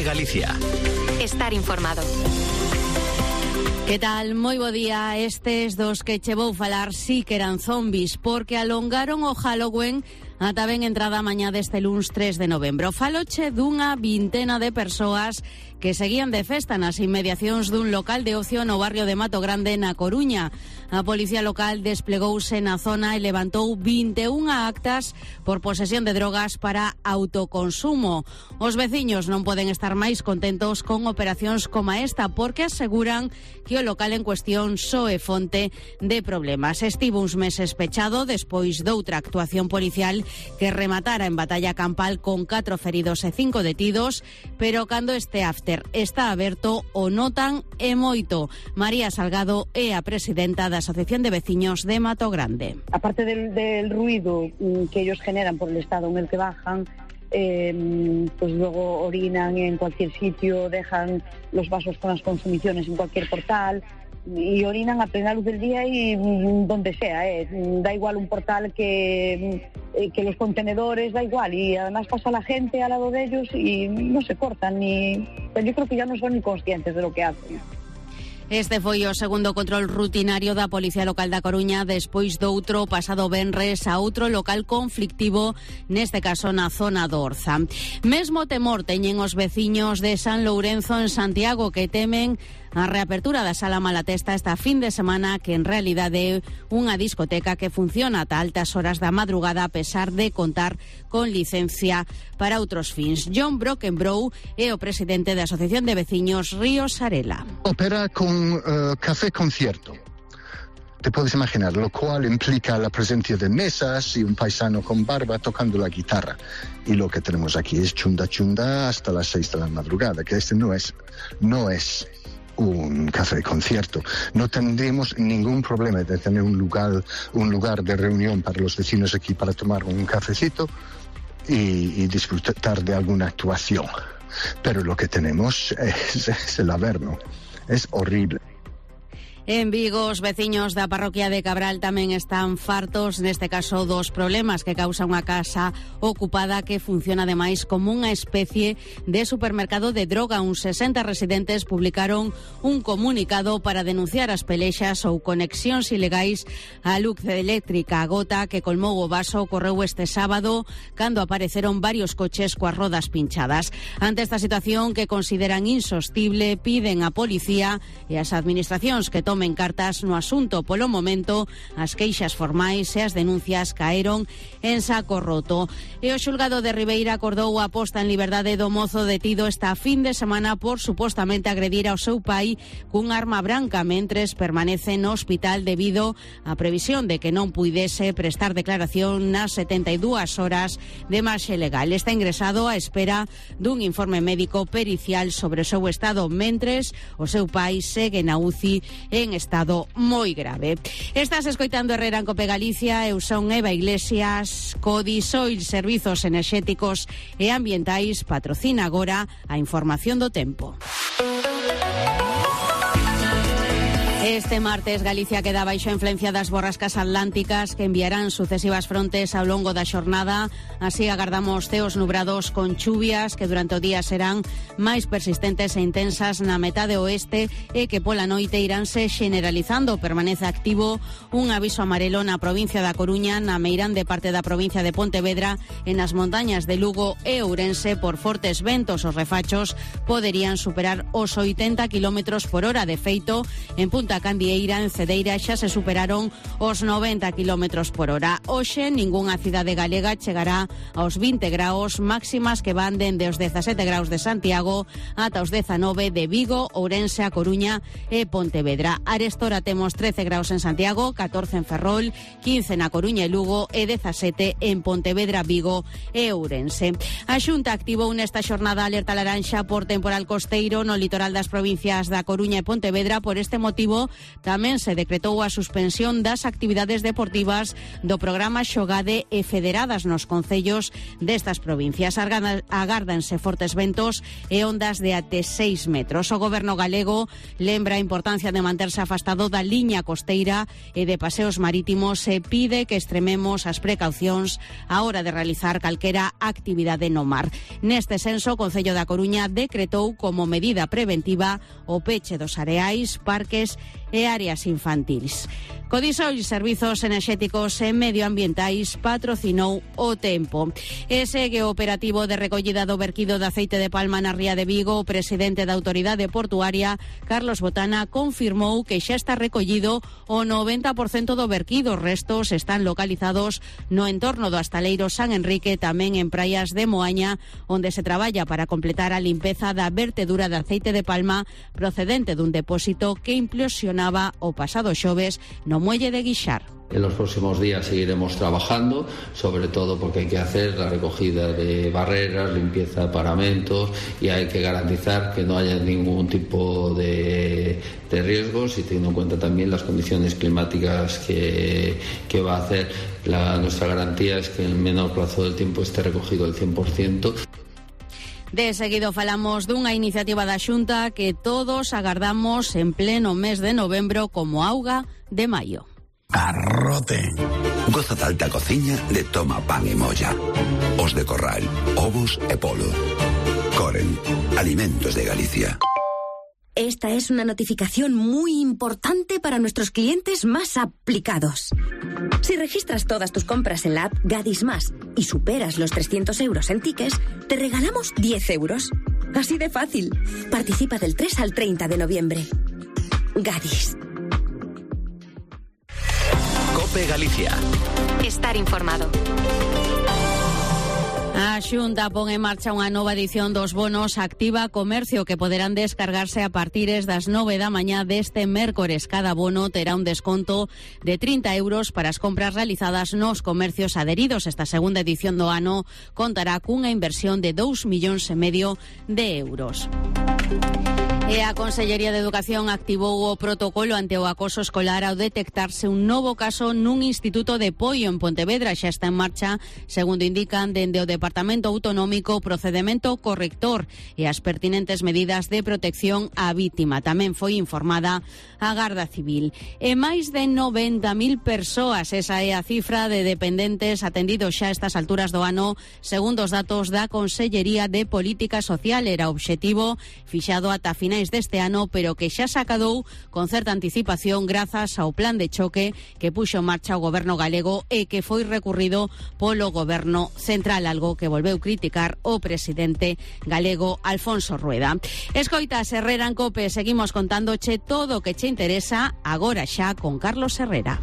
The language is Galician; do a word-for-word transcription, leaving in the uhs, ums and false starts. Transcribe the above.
Galicia. Estar informado. Que tal? Moi bo día. Estes dos que che vou falar sí que eran zombies, porque alongaron o Halloween ata ben entrada a mañá deste luns tres de novembro. Faloche dunha vintena de persoas que seguían de festa nas inmediacións dun local de ocio no barrio de Mato Grande, na Coruña. A policía local desplegouse na zona e levantou vinte e unha actas por posesión de drogas para autoconsumo. Os veciños non poden estar máis contentos con operacións como esta, porque aseguran que o local en cuestión só é fonte de problemas. Estivo uns meses pechado despois doutra actuación policial que rematara en batalla campal con catro feridos e cinco detidos, pero cando este after está aberto o notan e moito. María Salgado é a presidenta da Asociación de Veciños de Mato Grande. Aparte del, del ruido que ellos generan por el estado en el que bajan, eh, pues luego orinan en cualquier sitio, dejan los vasos con las consumiciones en cualquier portal y orinan a plena luz del día y donde sea, eh. Da igual un portal que, eh, que los contenedores, da igual, y además pasa la gente al lado de ellos y no se cortan, ni, pues yo creo que ya no son ni conscientes de lo que hacen. Este foi o segundo control rutinario da Policía Local da Coruña despois doutro pasado venres a outro local conflictivo, neste caso na zona do Orza. Mesmo temor teñen os veciños de San Lourenzo en Santiago, que temen a reapertura da Sala Malatesta esta fin de semana, que en realidade é unha discoteca que funciona ata altas horas da madrugada a pesar de contar con licencia para outros fins. John Brockenbrough é o presidente da Asociación de Veciños Ríos Sarela. Opera con uh, café concierto. Te puedes imaginar, lo cual implica la presencia de mesas y un paisano con barba tocando la guitarra. Y lo que tenemos aquí es chunda chunda hasta las seis de la madrugada, que este no es, no es un café concierto. No tendríamos ningún problema de tener un lugar, un lugar de reunión para los vecinos aquí para tomar un cafecito y, y disfrutar de alguna actuación. Pero lo que tenemos es, es el Averno. Es horrible. En Vigo, os veciños da parroquia de Cabral tamén están fartos, neste caso, dos problemas que causa unha casa ocupada que funciona ademais como unha especie de supermercado de droga. Uns sesenta residentes publicaron un comunicado para denunciar as pelexas ou conexións ilegais á luz eléctrica a gota que colmou o vaso. Ocorreu este sábado cando apareceron varios coches coas rodas pinchadas. Ante esta situación que consideran insostible, piden á policía e ás administracións que tomen cartas no asunto. Polo momento, as queixas formais e as denuncias caeron en saco roto. E o xulgado de Ribeira acordou a posta en liberdade do mozo detido esta fin de semana por supostamente agredir ao seu pai cun arma branca mentres permanece no hospital debido á previsión de que non puidese prestar declaración nas setenta e dúas horas de marxe legal. Está ingresado á espera dun informe médico pericial sobre o seu estado, mentres o seu pai segue na U C I en en estado moi grave. Estás escoitando Herrera en Cope Galicia. Eu son Eva Iglesias. Codisoil Servizos Enerxéticos e Ambientais patrocina agora a información do tempo. Este martes Galicia queda baixo a influencia das borrascas atlánticas que enviarán sucesivas frontes ao longo da xornada. Así agardamos ceos nubrados con chuvias que durante o día serán máis persistentes e intensas na metade oeste e que pola noite iránse generalizando. Permanece activo un aviso amarelo na provincia da Coruña, na meirande parte da provincia de Pontevedra e nas montañas de Lugo e Ourense por fortes ventos. Os refachos poderían superar os oitenta kilómetros por hora. De feito, en Punta Candieira, en Cedeira, xa se superaron os noventa kilómetros por hora. Hoxe, ningunha cidade galega chegará aos vinte graus, máximas que van dende os dezasete graus de Santiago ata os dezanove de Vigo, Ourense, A Coruña e Pontevedra. Arestora temos trece graus en Santiago, catorce en Ferrol, quince na Coruña e Lugo e dezasete en Pontevedra, Vigo e Ourense. A Xunta activou nesta xornada alerta laranxa por temporal costeiro no litoral das provincias da Coruña e Pontevedra. Por este motivo tamén se decretou a suspensión das actividades deportivas do programa Xogade e Federadas nos concellos destas provincias. Agárdanse fortes ventos e ondas de até seis metros. O goberno galego lembra a importancia de manterse afastado da liña costeira e de paseos marítimos e pide que extrememos as precaucións á hora de realizar calquera actividade no mar. Neste senso, o Concello da Coruña decretou como medida preventiva o peche dos areais, parques e áreas infantís. Codisol Servizos Enerxéticos e Medioambientais patrocinou o tempo. E segue o operativo de recollida do verquido de aceite de palma na ría de Vigo. O presidente da Autoridade Portuaria, Carlos Botana, confirmou que xa está recollido o noventa por cento do verquido. Os restos están localizados no entorno do Astaleiro San Enrique, tamén en praias de Moaña, onde se traballa para completar a limpeza da vertedura de aceite de palma procedente dun depósito que implosionaba o pasado xoves no muelle de Guixar. En los próximos días seguiremos trabajando, sobre todo porque hay que hacer la recogida de barreras, limpieza de paramentos y hay que garantizar que no haya ningún tipo de, de riesgos y teniendo en cuenta también las condiciones climáticas que, que va a hacer. La, nuestra garantía es que en el menor plazo del tiempo esté recogido el cien por ciento. De seguido falamos dunha iniciativa da Xunta que todos agardamos en pleno mes de novembro como auga de maio. Arrote. Goza da alta cociña de toma pan e molla. Os de Corral, ovos e polo. Coren, alimentos de Galicia. Esta es una notificación muy importante para nuestros clientes más aplicados. Si registras todas tus compras en la app Gadis Más y superas los trescientos euros en tickets, te regalamos diez euros. Así de fácil. Participa del tres al treinta de noviembre. Gadis. COPE Galicia. Estar informado. A Xunta pon en marcha unha nova edición dos bonos Activa Comercio que poderán descargarse a partires das nove da mañá deste mércores. Cada bono terá un desconto de trinta euros para as compras realizadas nos comercios adheridos. Esta segunda edición do ano contará cunha inversión de dous millóns e medio de euros. E a Consellería de Educación activou o protocolo ante o acoso escolar ao detectarse un novo caso nun instituto de Poio en Pontevedra. Xa está en marcha, segundo indican dende o Departamento Autonómico, o procedemento corrector e as pertinentes medidas de protección á vítima. Tamén foi informada a Garda Civil. E máis de noventa mil persoas, esa é a cifra de dependentes atendidos xa a estas alturas do ano, segundo os datos da Consellería de Política Social. Era o obxectivo fixado ata finais deste ano, pero que xa se acadou con certa anticipación grazas ao plan de choque que puxo en marcha o goberno galego e que foi recurrido polo goberno central, algo que volveu criticar o presidente galego Alfonso Rueda. Escoitas Herrera en COPE, seguimos contándoche todo o que che interesa agora xa con Carlos Herrera.